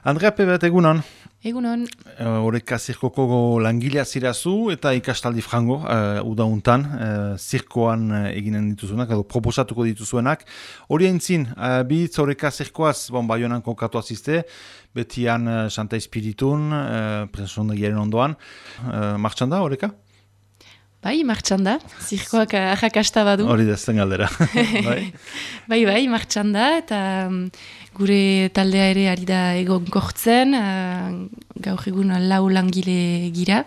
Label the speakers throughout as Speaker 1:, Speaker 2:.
Speaker 1: Andrea Pebet, egunon.
Speaker 2: Egunon.
Speaker 1: Horeka zirkoko langilea zirazu eta ikastaldi frango, udauntan, zirkoan eginen dituzuenak, edo proposatuko dituzuenak. Hori aintzin, bitz horeka zirkoaz, Baionan kokatu azizte, betian Santa Espiritun, presondegiaren ondoan. Martxan da, horeka?
Speaker 2: Bai, martxan da. Zirkoak arrakasta badu.
Speaker 1: Hori da, zen galdera.
Speaker 2: Bai, martxan da, eta gure taldea ere ari da egonkortzen, gaur egun 4 langile gira,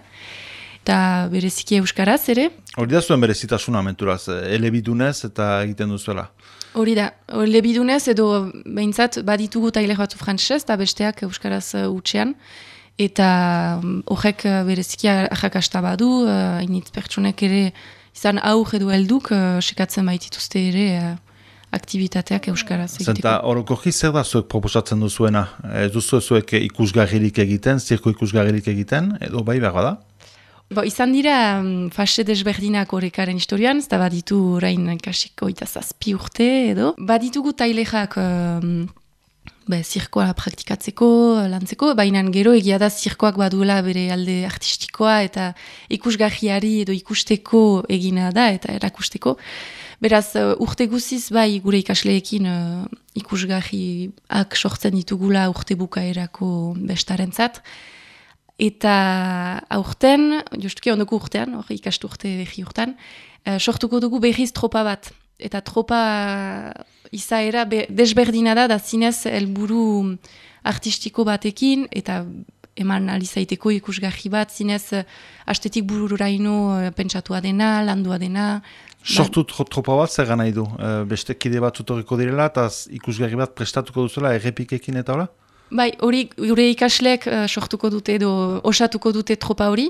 Speaker 2: eta bereziki euskaraz ere.
Speaker 1: Hori da zuen berezitasuna menturaz, elebidunez eta egiten duzuela.
Speaker 2: Hori da, elebidunez edo behintzat baditugu tailer batzu frantsez eta besteak euskaraz utxean. Eta horrek bereziki arrakasta badu, hainitz pertsonek ere izan aur edo helduk sekatzen baitituzte ere aktivitateak euskaraz egiteko.
Speaker 1: Zenta orokorki zer da zuek proposatzen duzuena? Ez duzu zuek ikusgarririk egiten, zirko ikusgarririk egiten, edo bai behar da?
Speaker 2: Izan dira fase desberdinak horrekaren historian, ez da baditu orain kasiko 7 urte edo. Baditugu tailerak zirkoa praktikatzeko, lantzeko, baina gero egia da zirkoak baduela bere alde artistikoa eta ikusgarriari edo ikusteko egina da eta erakusteko. Beraz, urte guziz bai gure ikasleekin ikusgarriak sortzen ditugula urte bukaerako bestarentzat. Eta aurten, justuki ondoko urtean, ikastu urte behi urtean, sortuko dugu behiz tropa bat. Eta tropa izaera desberdina da zinez helburu artistiko batekin, eta eman alizaiteko ikusgarri bat, zinez astetik bururaino pentsatua dena, landua dena.
Speaker 1: Sortu tropa bat zer gana idu? Beste kide bat tutoriko direla, eta ikusgarri bat prestatuko duzula errepikekin eta hola?
Speaker 2: Bai, hori gure ikasleek sortuko dute edo osatuko dute tropa hori,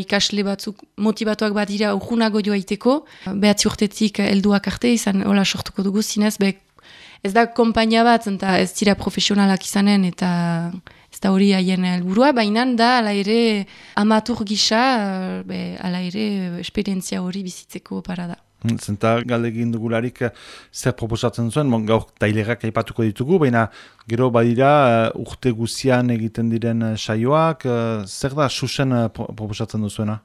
Speaker 2: ikasle batzuk motibatuak badira urgunago joaiteko, 9 urtetik helduak arte izan hola sortuko dugu zinez, ez da konpainia bat, eta ez dira profesionalak izanen, eta ez da hori haien helburua, baina da ala ere amatur gisa, ala ere esperientzia hori bizitzeko parada.
Speaker 1: Zenta galdegin dugularik zer proposatzen zuen, gaur tailerak aipatuko ditugu, baina gero badira urte guzian egiten diren saioak, zer da susen proposatzen duzuena?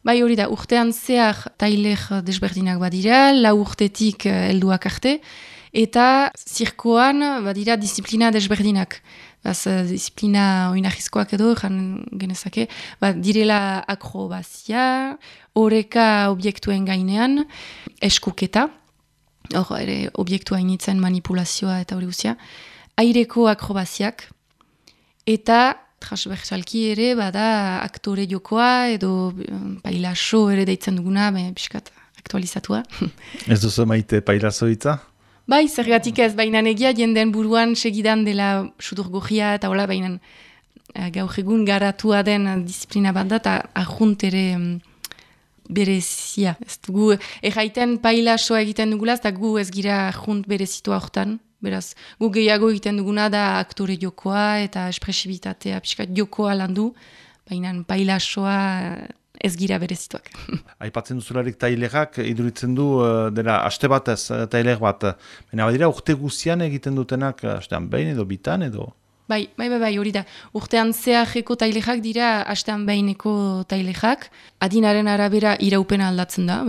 Speaker 2: Bai hori da, urtean zehar tailer desberdinak badira, 4 urtetik helduak arte, eta zirkoan badira disiplina desberdinak. Disiplina oinarrizkoak edo, genezake, direla akrobazia, oreka objektuen gainean, eskuketa, hor ere objektua initzen manipulazioa eta hori guzia, aireko akrobaziak, eta transversalki ere bada aktore jokoa edo pailaso ere deitzen duguna, biskat aktualizatua.
Speaker 1: Ez duzu maite pailaso hitza?
Speaker 2: Bai, zergatik ez, baina egia jenden buruan segidan dela sudurgogia eta hola, baina gaur egun garatua den disiplina bat da, eta ahunt ere berezia. Ez dugu, erraiten pailasoa egiten dugula, eta gu ez gira ahunt berezitua hortan. Beraz, gu gehiago egiten duguna da aktore jokoa eta espresibitatea, pixkat jokoa landu, baina pailasoa ez gira berezituak.
Speaker 1: Aipatzen duzularik tailerak iduritzen du dela aste batez tailer bat. Baina badira urte guzian egiten dutenak astean behin edo bitan edo?
Speaker 2: Bai, hori da. Urtean zeharreko tailerak dira astean behineko tailerak. Adinaren arabera iraupena aldatzen da,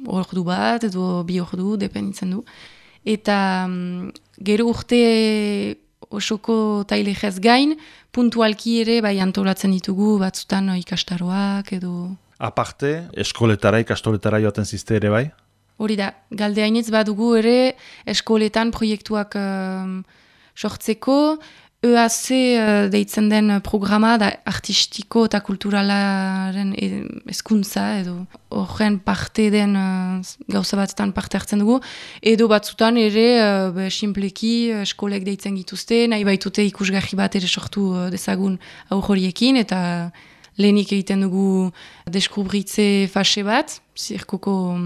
Speaker 2: ordu bat edo 2 ordu, dependitzen du. Eta gero urte osoko tailegez gain, puntualki ere bai antolatzen ditugu batzutan ikastaroak edo...
Speaker 1: Aparte, eskoletara, ikastoletara joaten zizte ere bai?
Speaker 2: Hori da, galdeainitz badugu ere eskoletan proiektuak sortzeko, EAC deitzen den programa da artistiko eta kulturalaren hezkuntza edo horren parte den gauza batetan parte hartzen dugu, edo batzutan ere sinpleki eskolek deitzen gituzte, nahi baitute ikusgarri bat ere sortu dezagun aur horiekin, eta lehenik egiten dugu deskubritze fase bat, zirkoko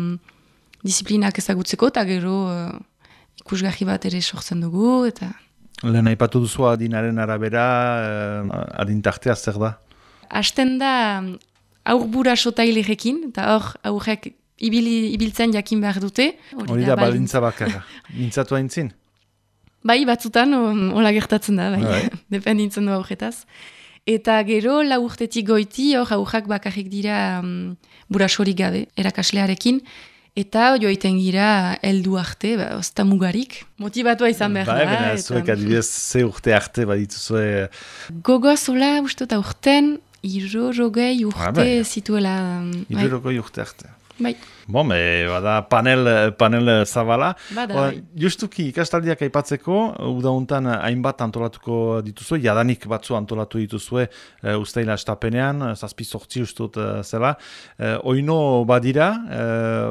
Speaker 2: disiplinak ezagutzeko, eta gero ikusgarri bat ere sortzen dugu, eta...
Speaker 1: Lehen aipatu duzu adinaren arabera, adintartea zer da?
Speaker 2: Hasten da aurburaso tailerekin, eta hor aurrek ibiltzen jakin behar dute.
Speaker 1: Hori da balintza bakarra. Mintzatu haintzin?
Speaker 2: Bai, batzutan hola gertatzen da, bai. Dependintzen du aurretaz. Eta gero, 4 urtetik goiti, hor aurrak bakarrik dira burasorik gabe, erakaslearekin, eta joiten gira heldu arte, ozta mugarik. Motibatua izan behar da.
Speaker 1: Baina, zuek adibidez, ze urte arte badituzue...
Speaker 2: Gogoz, hola, uste eta urten, 60 urte zituela.
Speaker 1: 60 urte arte.
Speaker 2: Bai.
Speaker 1: Bon, bada panel zabala.
Speaker 2: Bada,
Speaker 1: justuki ikastaldiak aipatzeko, udauntan hainbat antolatuko dituzue, jadanik batzu antolatu dituzue ustaila estapenean, 7-8 ustut zela. Oino badira,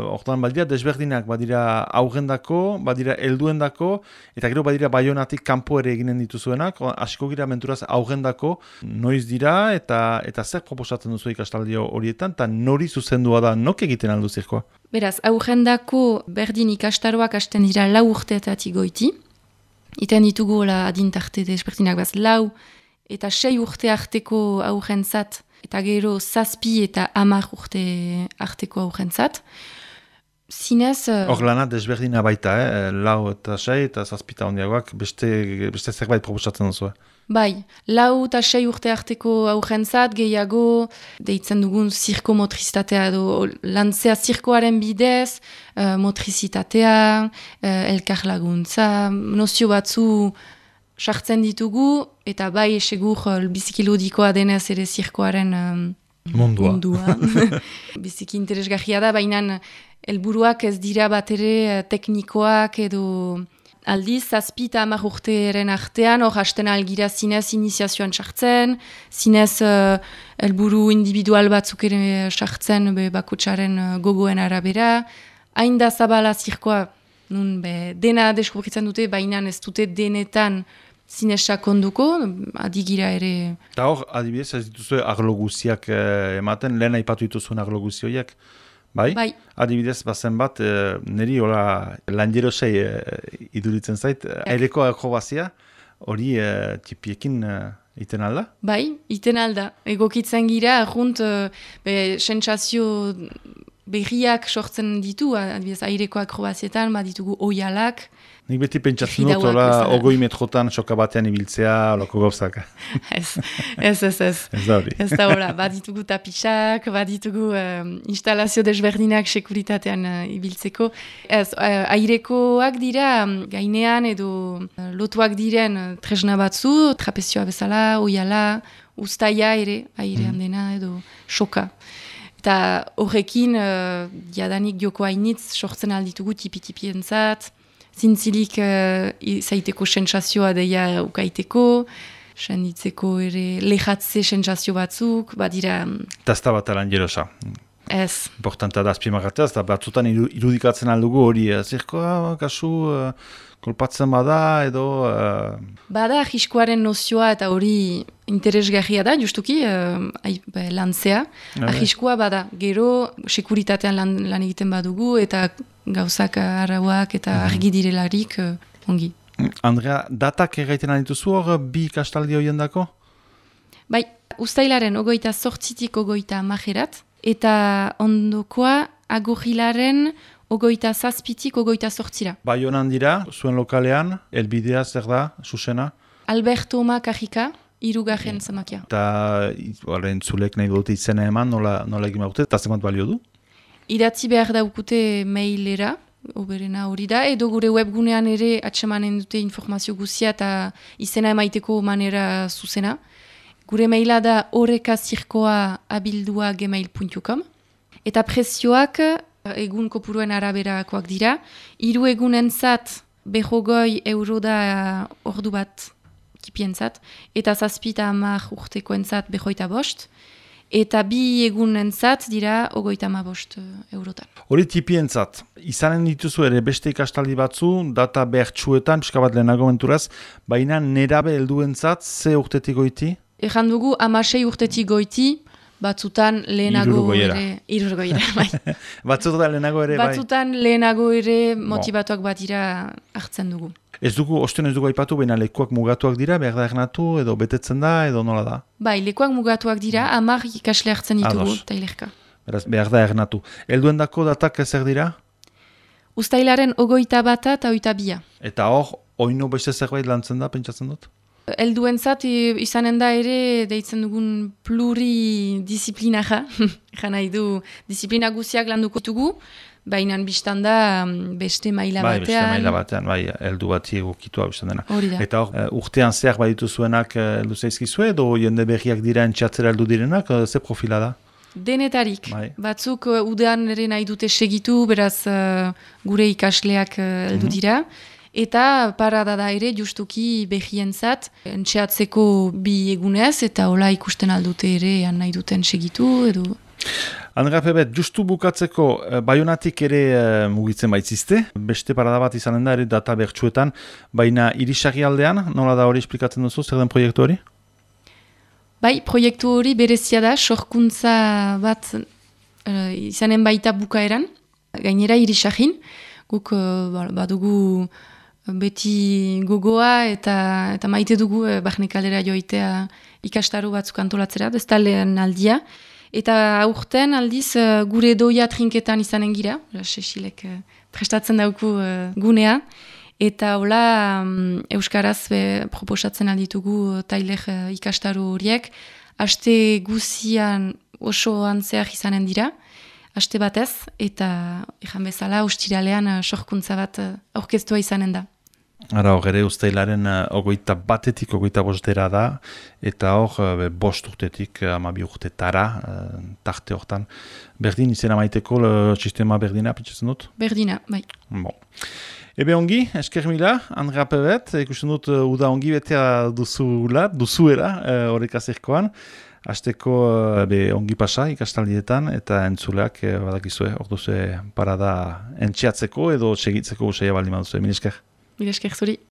Speaker 1: hortan badira desberdinak, badira aurrendako, badira helduendako, eta gero badira Baionatik kanpo ere eginen dituzuenak, hasiko gira menturaz aurrendako, noiz dira, eta zer proposatzen duzu ikastaldi horietan, eta nori zuzendua da, nok egiten aldu zirkoa?
Speaker 2: Beraz, aurrendako berdin ikastaroak hasten dira 4 urteetatik goiti. Iten ditugu adintarte desberdinak 4 eta 6 urte arteko aurrentzat, eta gero 7 eta 10 urte arteko aurrentzat. Zinez...
Speaker 1: Hor lana desberdina baita, 4 eta 6 eta 7 eta ondiagoak beste zerbait proposatzen duzu.
Speaker 2: Bai, 4 eta 6 urte arteko aurrentzat, gehiago deitzen dugun zirko motrizitatea edo lantzea zirkoaren bidez, motrizitatea, elkar laguntza, nozio batzu sartzen ditugu, eta bai segur biziki ludikoa denez ere zirkoaren mundua. Biziki interesgarria da, baina helburuak ez dira bat ere teknikoak edo... Aldiz, 7 eta 10 urteren artean, hor hasten algira zinez iniziazioan sartzen, zinez helburu individual batzuk ere sartzen bakotsaren gogoen arabera. Hain da zabala zirkoa, dena deskubritzen dute, baina ez dute denetan zinez sakonduko, adigira ere...
Speaker 1: Eta hor, adibidez, ez dituzu arlo guziak ematen, lehen aipatu dituzuen arlo guzioiak? Bai? Adibidez, bazen bat, niri hola lanjerosei iduritzen zait, aireko akrobazia, hori txipiekin iten alda?
Speaker 2: Bai, iten alda. Egokitzen gira, sentsazio berriak sortzen ditu, adibidez, aireko akrobazietan, ditugu oialak.
Speaker 1: Nik beti pentsatzen dut, hola, 20 metrotan soka batean ibiltzea, holako gauzak.
Speaker 2: Ez.
Speaker 1: Ez da hori.
Speaker 2: Ez da hola, baditugu tapisak, baditugu instalazio desberdinak sekuritatean ibiltzeko. Ez, airekoak dira, gainean edo lotuak diren tresna batzu, trapezioa bezala, oiala, ustaia ere, airean dena edo soka. Eta horrekin, jadanik joko hainitz, sortzen alditugu tipi-tipientzat, zintzilik zaiteko sentsazioa deia ukaiteko, senditzeko ere lehatze sentsazio batzuk, badira...
Speaker 1: Eta ez da bat alan jerosa.
Speaker 2: Ez.
Speaker 1: Importanta da azpimarratzea, eta batzutan irudikatzen aldugu hori, zirkoa, kasu, kolpatzen bada, edo...
Speaker 2: Bada ahiskoaren nozioa eta hori interesgarria da, justuki, lantzea. Ahiskoa bada, gero sekuritatean lan egiten badugu, eta gauzak arauak eta argi direlarik ongi.
Speaker 1: Andrea, datak erraiten adituzu hor bi ikastaldi horien dako?
Speaker 2: Bai, ustailaren 28tik 30erat, eta ondokoa agurrilaren 27tik 28ra.
Speaker 1: Baionan dira, zuen lokalean, elbidea zer da, Susena?
Speaker 2: Alberto Oma Kajika, 3. zamakia.
Speaker 1: Eta zulek nahi dute izena eman, nola egin baute, eta zemat balio du?
Speaker 2: Idatzi behar daukute mailera, oberena hori da, edo gure webgunean ere atsemanen dute informazio guzia eta izena emaiteko manera zuzena. Gure maila da orekazirkoa@gmail.com eta prezioak egun kopuruen araberakoak dira. 3 egunentzat 50 euro da ordu bat kipientzat, eta 7 eta 10 urtekoentzat 25. Eta 2 egunentzat dira 35 eurotan.
Speaker 1: Hori tipientzat, izanen dituzu ere beste ikastaldi batzu, data behartsuetan, pixka bat lehenago menturaz, baina nerabe helduentzat ze urtetik goiti?
Speaker 2: Ejan dugu 16 urtetik goiti, batzutan lehenago ere... Irurgoiera, bai.
Speaker 1: Batzutan lehenago ere, bai.
Speaker 2: Batzutan lehenago ere motivatuak bat dira hartzen dugu.
Speaker 1: Ez dugu, osten ez dugu aipatu, baina lekuak mugatuak dira, behar da ernatu, edo betetzen da, edo nola da?
Speaker 2: Bai, lekuak mugatuak dira, 10 ikasle hartzen ditugu, tailerka.
Speaker 1: Beraz, behar da ernatu. Helduen dako datak ezer dira?
Speaker 2: Uztailaren 21 eta 22.
Speaker 1: Eta hor, Oino beste zerbait lantzen da, pentsatzen dut?
Speaker 2: Helduentzat izanen da ere deitzen dugun pluridisziplinaja, jan nahi du disiplina guziak landuko dugu, baina biztan da beste maila batean.
Speaker 1: Beste maila batean, heldu bati egokitu hau izan dena.
Speaker 2: Hori da.
Speaker 1: Eta urtean zehar baditu zuenak heldu zaizkizue, edo jende berriak dira entxatzera heldu direnak, ze profila da?
Speaker 2: Denetarik. Batzuk udean ere nahi dute segitu, beraz gure ikasleak heldu dira. Eta parada da ere justuki behientzat entxeatzeko bi egunez, eta hola ikusten aldute ere nahi duten segitu edo.
Speaker 1: Andrea Pebet, justu bukatzeko Baionatik ere mugitzen baitzizte, beste parada bat izanen da ere data bertsuetan, baina Irisarri aldean, nola da hori esplikatzen duzu, zer den proiektu hori?
Speaker 2: Bai, proiektu hori berezia da, sorkuntza bat izanen baita bukaeran, gainera Irisarrin, guk badugu beti gogoa eta maite dugu barnekalera joitea ikastaru batzuk antolatzera, ez da lehen aldia. Eta aurten aldiz gure doia trinketan izanen gira, Sesilek prestatzen dauku gunea. Eta hola Euskaraz proposatzen alditugu tailer ikastaru horiek. Aste guzian oso antzeak izanen dira, aste batez, eta ejan bezala ostiralean sorkuntza bat aurkeztua izanen da.
Speaker 1: Ara hor ere uztailaren 21-etik 25 da, eta hor 5 urtetik 12 urtetara, tarte hortan. Berdin izena maiteko sistema berdina, pentsatzen dut?
Speaker 2: Berdina, bai.
Speaker 1: Bon. Ebe ongi, esker mila, Andrea Pebet, ikusten dut uda ongi betea duzuera horrek azerkoan. Azteko ongi pasa ikastaldietan eta entzuleak badakizue, orduzue parada entxeatzeko edo segitzeko usaila baldin baduzue. Mil esker.
Speaker 2: Mil esker zuri.